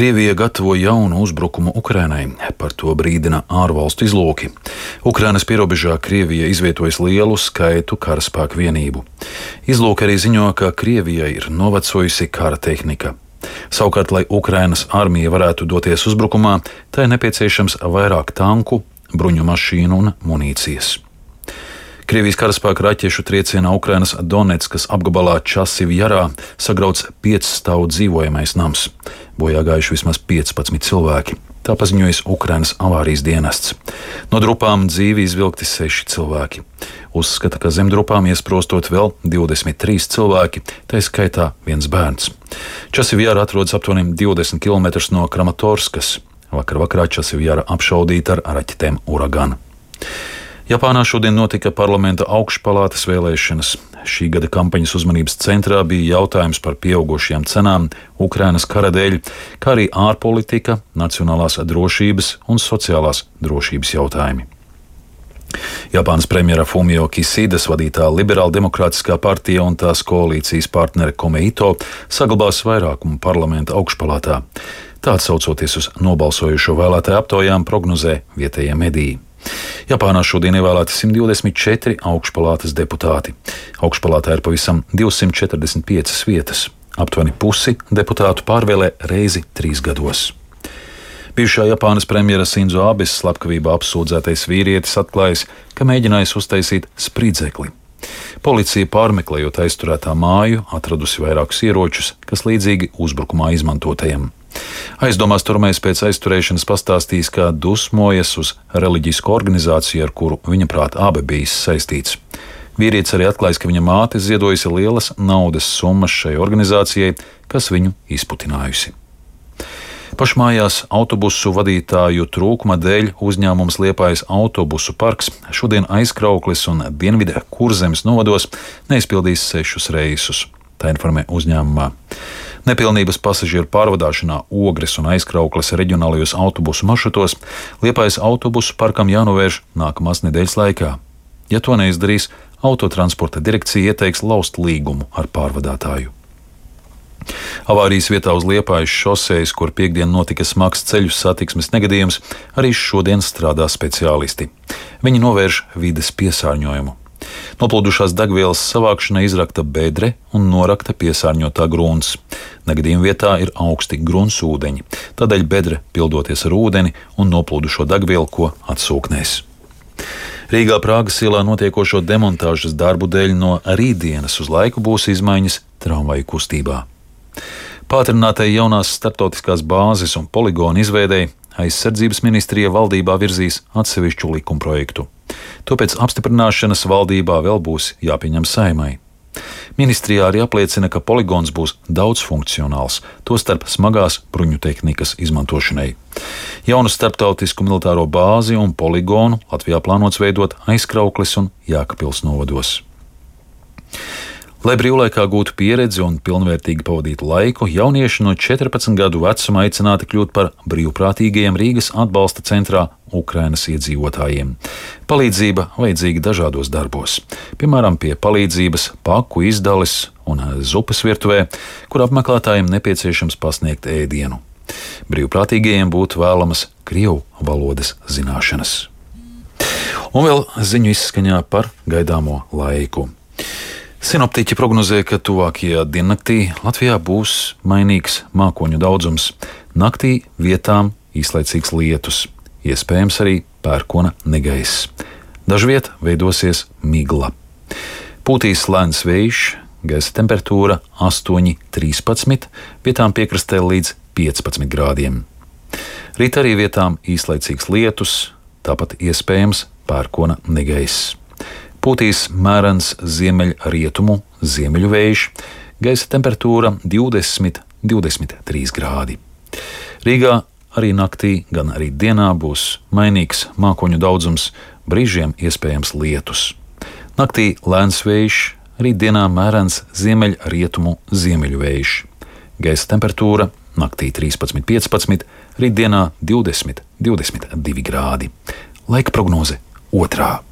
Krievija gatavo jaunu uzbrukumu Ukrainai, par to brīdina ārvalstu izlūki. Ukrainas pierobežā Krievija izvietojas lielu skaitu karaspēku vienību. Izlūki arī ziņo, ka Krievijai ir novecojusi kara tehnika. Savukārt, lai Ukrainas armija varētu doties uzbrukumā, tai nepieciešams vairāk tanku, bruņu mašīnu un munīcijas. Krievijas karaspēka raķešu triecienā Ukrainas Donetskas apgabalā Časivjarā sagrauts 5-stāvu dzīvojamais nams. Bojā gājuši vismaz 15 cilvēki. Tā paziņojas Ukrainas avārijas dienests. No drupām dzīvi izvilkti 6 cilvēki. Uzskata, ka zem drupām iesprostot vēl 23 cilvēki, tā skaitā viens bērns. Časivjara atrodas aptuveni 20 km no Kramatorskas. Vakarā Časivjara apšaudīta ar raķetēm Uragan. Japānā šodien notika parlamenta augšpalātas vēlēšanas. Šī gada kampaņas uzmanības centrā bija jautājums par pieaugušajām cenām Ukrainas kara dēļ, kā arī ārpolitika, nacionālās drošības un sociālās drošības jautājumi. Japānas premjera Fumio Kisidas vadītā Liberāla demokrātiskā partija un tās koalīcijas partnere Komeito saglabās vairākumu parlamenta augšpalātā. Tā atsaucoties uz nobalsojušo vēlētāju aptaujām prognozē vietējie mediji. Japānā šodien ievēlēti 124 augšpalātas deputāti. Augšpalātā ir pavisam 245 vietas. Aptuveni pusi deputātu pārvēlē reizi 3 gados. Bijušā Japānas premjera Sinzo Abes slepkavībā apsūdzētais vīrietis atklājis, ka mēģinājis uztaisīt spridzekli. Policija pārmeklējot aizturētā māju, atradusi vairākus ieročus, kas līdzīgi uzbrukumā izmantotajiem. Aizdomās turamais pēc aizturēšanas pastāstījis, kā dusmojas uz reliģisku organizāciju, ar kuru viņa prāt abi bijis saistīts. Vīrietis arī atklājis, ka viņa māte ziedojusi lielas naudas summas šai organizācijai, kas viņu izputinājusi. Pašmājās autobusu vadītāju trūkuma dēļ uzņēmums Liepājas autobusu parks šodien Aizkraukles un Dienvidē Kurzemes novados neizpildīs 6 reisus. Tā informē uzņēmumā. Nepilnības pasažieru pārvadāšanā Ogres un Aizkraukles reģionālajos autobusu maršrutos Liepājas autobusu parkam jānovērš nākamās nedēļas laikā. Ja to neizdarīs, Autotransporta direkcija ieteiks laust līgumu ar pārvadātāju. Avārijas vietā uz Liepājas šosejas, kur piektdien notika smags ceļu satiksmes negadījums, arī šodien strādā speciālisti. Viņi novērš vides piesārņojumu. Noplūdušās degvielas savākšanai izrakta bedre un norakta piesārņotā grunts. Negadījuma vietā ir augsti gruntsūdeņi, tādēļ bedre pildoties ar ūdeni un noplūdušo degvielu, ko atsūknēs. Rīgā Prāgas ielā notiekošo demontāžas darbu dēļ no rītdienas uz laiku būs izmaiņas tramvaju kustībā. Pātrinātai jaunās starptautiskās bāzes un poligonu izveidei Aizsardzības ministrija valdībā virzīs atsevišķu likumprojektu. To pēc apstiprināšanas valdībā vēl būs jāpieņem Saeimai. Ministrijā arī apliecina, ka poligons būs daudzfunkcionāls, tostarp smagās bruņu tehnikas izmantošanai. Jaunu starptautisku militāro bāzi un poligonu Latvijā plānots veidot Aizkraukles un Jēkabpils novados. Lai brīvlaikā gūtu pieredzi un pilnvērtīgi pavadītu laiku, jaunieši no 14 gadu vecuma aicināti kļūt par brīvprātīgajiem Rīgas atbalsta centrā Ukrainas iedzīvotājiem. Palīdzība vajadzīga dažādos darbos, piemēram, pie palīdzības paku izdales un zupas virtuvē, kur apmeklētājiem nepieciešams pasniegt ēdienu. Brīvprātīgajiem būtu vēlamas krievu valodas zināšanas. Un vēl ziņu izskaņā par gaidāmo laiku. Sinoptiķi prognozē, ka tuvākajā diennaktī Latvijā būs mainīgs mākoņu daudzums. Naktī vietām īslaicīgs lietus, iespējams arī pērkona negaiss. Dažviet veidosies migla. Pūtīs lēns vējš, gaisa temperatūra 8–13, vietām piekrastē līdz 15 grādiem. Rīt arī vietām īslaicīgs lietus, tāpat iespējams pērkona negaiss. Pūtīs mērens ziemeļrietumu ziemeļu vējš, gaisa temperatūra 20–23 grādi. Rīgā arī naktī, gan arī dienā būs mainīgs mākoņu daudzums, brīžiem iespējams lietus. Naktī lēns vējš, rīt dienā mērens ziemeļrietumu ziemeļu vējš. Gaisa temperatūra naktī 13–15, rīt dienā 20–22 grādi. Laika prognoze 2.